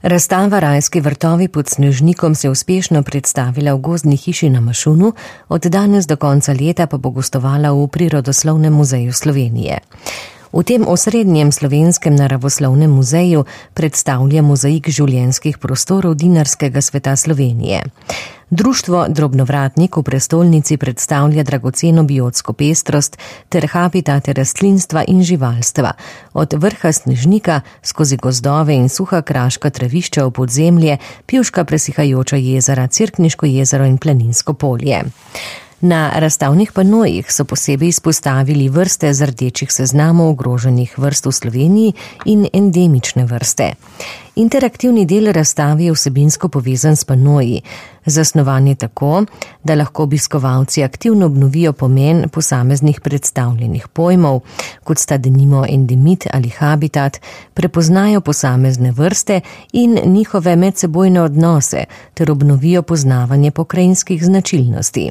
Razstava Rajski vrtovi pod Snežnikom se je uspešno predstavila v Gozdni hiši na Mašunu, od danes do konca leta pa bo gostovala v Prirodoslovnem muzeju Slovenije. V tem osrednjem slovenskem naravoslovnem muzeju predstavlja mozaik življenjskih prostorov dinarskega sveta Slovenije. Društvo Drobnovratnik v prestolnici predstavlja dragoceno biotsko pestrost ter habitate rastlinstva in živalstva, od vrha Snežnika skozi gozdove in suha kraška travišča v podzemlje, pivška presihajoča jezera, Cerkniško jezero in Planinsko polje. Na razstavnih panojih so posebej izpostavili vrste z rdečih seznamov ogroženih vrst v Sloveniji in endemične vrste. Interaktivni del razstave je vsebinsko povezan s panoji, zasnovan je tako, da lahko obiskovalci aktivno obnovijo pomen posameznih predstavljenih pojmov, kot sta denimo endemit ali habitat, prepoznajo posamezne vrste in njihove medsebojne odnose ter obnovijo poznavanje pokrajinskih značilnosti.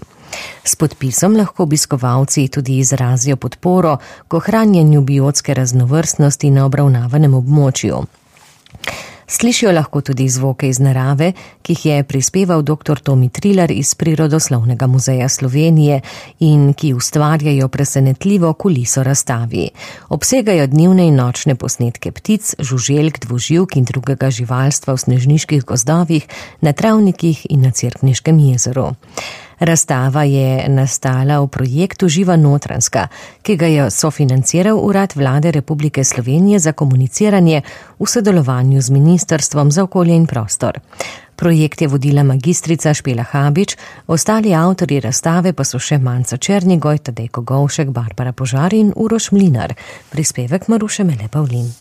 S podpisom lahko obiskovalci tudi izrazijo podporo k ohranjanju biotske raznovrstnosti na obravnavanem območju. Slišijo lahko tudi zvoke iz narave, ki jih je prispeval dr. Tomi Trilar iz Prirodoslovnega muzeja Slovenije in ki ustvarjajo presenetljivo kuliso razstavi. Obsegajo dnevne in nočne posnetke ptic, žuželk, dvoživk in drugega živalstva v snežniških gozdovih, na travnikih in na Cerkniškem jezeru. Razstava je nastala v projektu Živa Notranjska, ki ga je sofinanciral Urad Vlade Republike Slovenije za komuniciranje v sodelovanju z Ministrstvom za okolje in prostor. Projekt je vodila magistrica Špela Habič, ostali avtorji razstave pa so še Manca Černigoj, Tadej Kogovšek, Barbara Požar in Uroš Mlinar. Prispevek Maruše Mele Pavlin.